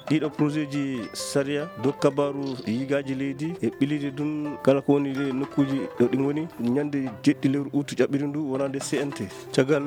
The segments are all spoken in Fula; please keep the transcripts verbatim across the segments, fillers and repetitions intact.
Ɗiɗo projet ji sariya dow kabaaru yigaaji leydi e ɓilliiɗe ɗum kala ko woni e nokkuuji ɗo ɗi ngoni, ñande jeɗɗi lewru ut ƴaɓɓiri ndu wonande C N T. Caggal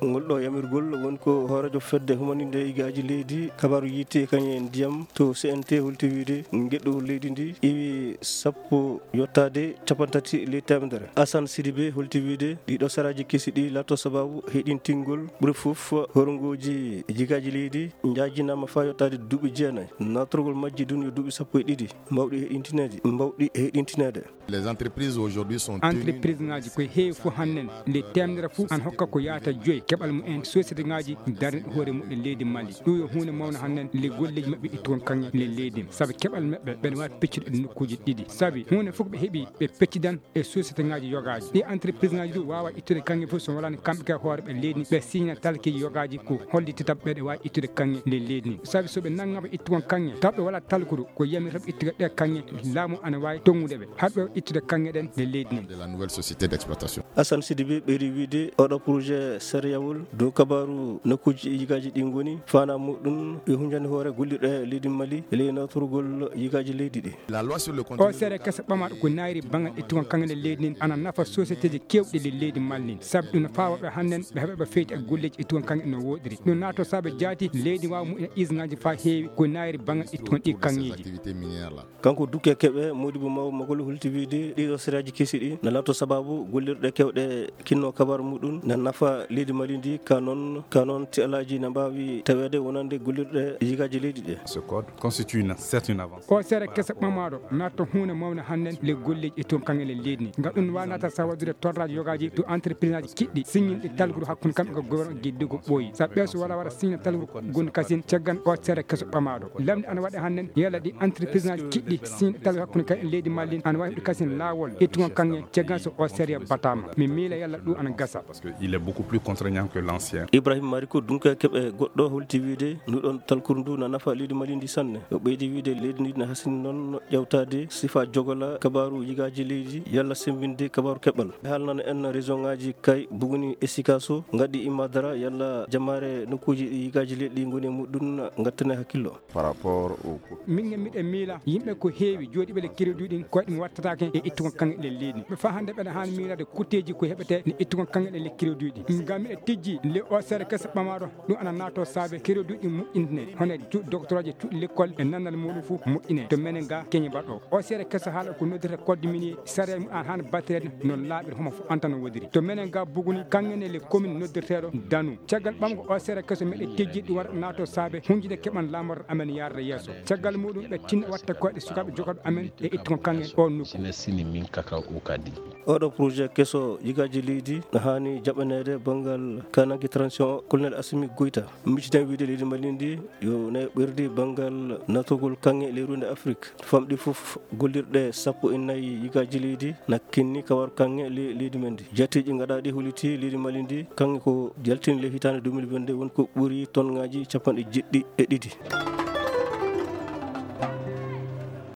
ngol ɗo yamirgol, woni ko hooreejo fedde humaninde yigaaji leydi, kabaaru yiite, kañum e ndiyam to C N T holti wiyde ngeɗu leydi ndi iwi sappo yottaade capanɗe tati ley teemedere. Assane Sidibé holti wiyde ɗiɗo saraaji kesi ɗi laatto sabaabu heɗintingol ɓuri fof horngooji yigaaji leydi njaajinaama faa yottaade duuɓi jeenayi. Naatorgol majji ɗum yo duuɓi sappo e ɗiɗi, mbawɗi heɗintineede, mbawɗi heɗintineede. Les entreprises aujourd'hui sont tenues entreprise ngaji koye heewi fof hannen le temedere fof an hokka ko yaata joyi keɓal mumen société ngaji darniɗo hoore muɗum leydi Mali. Ɗum yo hunde mawno hannen le golleji maɓɓe ittu kon kanŋe le leydi, saabi keɓal maɓɓe ɓeɗa wawi peccude e nokkuji ɗiɗi, saabi hunde fof ɓe heeɓi ɓe peccidan e société ngaji yogaji. Ɗi entreprise ngaji ɗum wawa ittude kanŋe fof so walani kamɓe ka hoore ɓe leydi, ɓe signa talkeji yogaji ko hollitita ɓeɗa wawi ittude kanŋe le leydi ni, saabi soɓe nanngama ittu kon kanŋe taw ɓe wala talkudu ko yamir tan ittude ɗe kanŋe, laamu ana wawi tongude ɓe haɗ ɓe ittude kanŋe ɗen le leydi ni. De la nouvelle société d'exploitation. Assane Sidibé ɓeydi wiyde oɗo projet sariyawol dow kabaaru nokkuji yigaaji ɗi ngoni, faanaa muɗum yo hunjande hoore gollirɗe leydi Mali e ley nawtorgol yigaaji leydi ɗi. La loi sur le contenu o seeɗa kesa ɓamaɗo ko nayri bangal ittu kon kanŋe le leydi nin ana nafa sociétéji kewɗi le leydi Mali nin, saabi ɗum no fawa ɓe hannen ɓe heɓa ɓe feyti e golleji ittu kon kanŋe no woɗiri. Ɗum naato saabe jaati leydi wawa muɗum isgaji fa heewi ko nayri bangal ittu kon ɗi kanŋeji. Activités minières là. Kanko Duke Keɓe, Modibo Mawo Magol holti wiyde ɗiɗo sariyaaji kesi ɗi na lato sababu gollirɗe kewɗe kinno kabar muɗum na nafa leydi Mali ndi, ka noon, ka noon ti alaaji na mbaawi taweede wonande gollirɗe yigaaji leydi ɗe. Ce code constitue une, certes une avance. O seeɗa kesa ɓamaɗo natta hunde mawne hannen le golleji e toon kanŋe le leydi ni. Ngam ɗum wawi natta sa waɗude torraji yogaji to entreprise aji kiɗɗi signinde talgudu hakkunde kamɓe ko gouvernement giddugo ɓooyi. Sa ɓeeso wala waɗa signe talgudu gonɗo kasin caggan o seeɗa keso ɓamaɗo. Lamɗi ana waɗa hannen yalla ɗi entreprise aji kiɗɗi signe talgudu hakkunde kay leydi Mali ana wawi heɓde kasin lawol ittugo kanŋe caggan so o seeɗa batama. Mi miila yalla ɗum ana gasa. Parce que il est beaucoup plus contraignant que l'ancien. Ibrahim Mariko Dunka Keɓe goɗɗo holti wiyde nduɗon talkuru ndu na nafa leydi Mali ndi sanne. O ɓeydi wiyde leydi ndi na hasini noon ƴewtaade sifa jogola kabaru yigaaji leydi yalla sembinde kabaru keɓal. Haalnana en région ngaji kay Buguni e Sikaso, Ngadi e Madara yalla jamaare nokkuji ɗi yigaaji leydi ngoni e muɗum ngattane hakkillo. Par rapport au. Min ne miɗen miila yimɓe ko heewi jooɗiɓe le crédit ɗin koyɗe mum wattatake e ittugo kanŋe ɗe leydi. Ɓe faa hannde ɓeɗa haani miilade kutteeji ko heɓete ne ittugo kanŋe ɗe le crédit ɗin. Ngam miɗa tijji le o seeɗa kesa ɓamaɗo ɗum ana naato saabe crédit ɗin moƴƴintine hono ju-, doctoraji cuuɗi l'école e nandal muɗum fof moƴƴine to menen ga keñe baɗo. O seeɗa kesa haala ko noddirta code minier sariya mum an haani battireede no laaɓiri homo fof antano wodiri. To menen ga Buguni kanŋe ne le commune noddirteeɗo Danu. Caggal ɓamgo o seeɗa keso meɗe tejjiɗi ɗum waɗa naato saabe hunjude keɓan laamorɗo amen yarde yeeso. Caggal muɗum ɓe tinna watta koyɗe sukaaɓe jogaɗo amen e ittugo kanŋe o nokku. Sina sini min kaka o kadi. Oɗo projet keso yigaaji leydi no haani jaɓaneede banngal kananke transition o, Colonel Assimi Goïta. Miccitan wiide leydi Mali ndi yo nayo ɓerdi banngal natogol kanŋe ley runde Afrique. Famɗi fof gollirɗe sappo e nayi yigaaji leydi na kinni kawar kanŋe le-, leydi men ndi. Jatteeji gaɗaaɗi holiti leydi Mali ndi kanŋe ko jaltini le hitaande deux mille vingt-deux woni ko ɓuri tonŋaaji capanɗe jeɗɗi e ɗiɗi.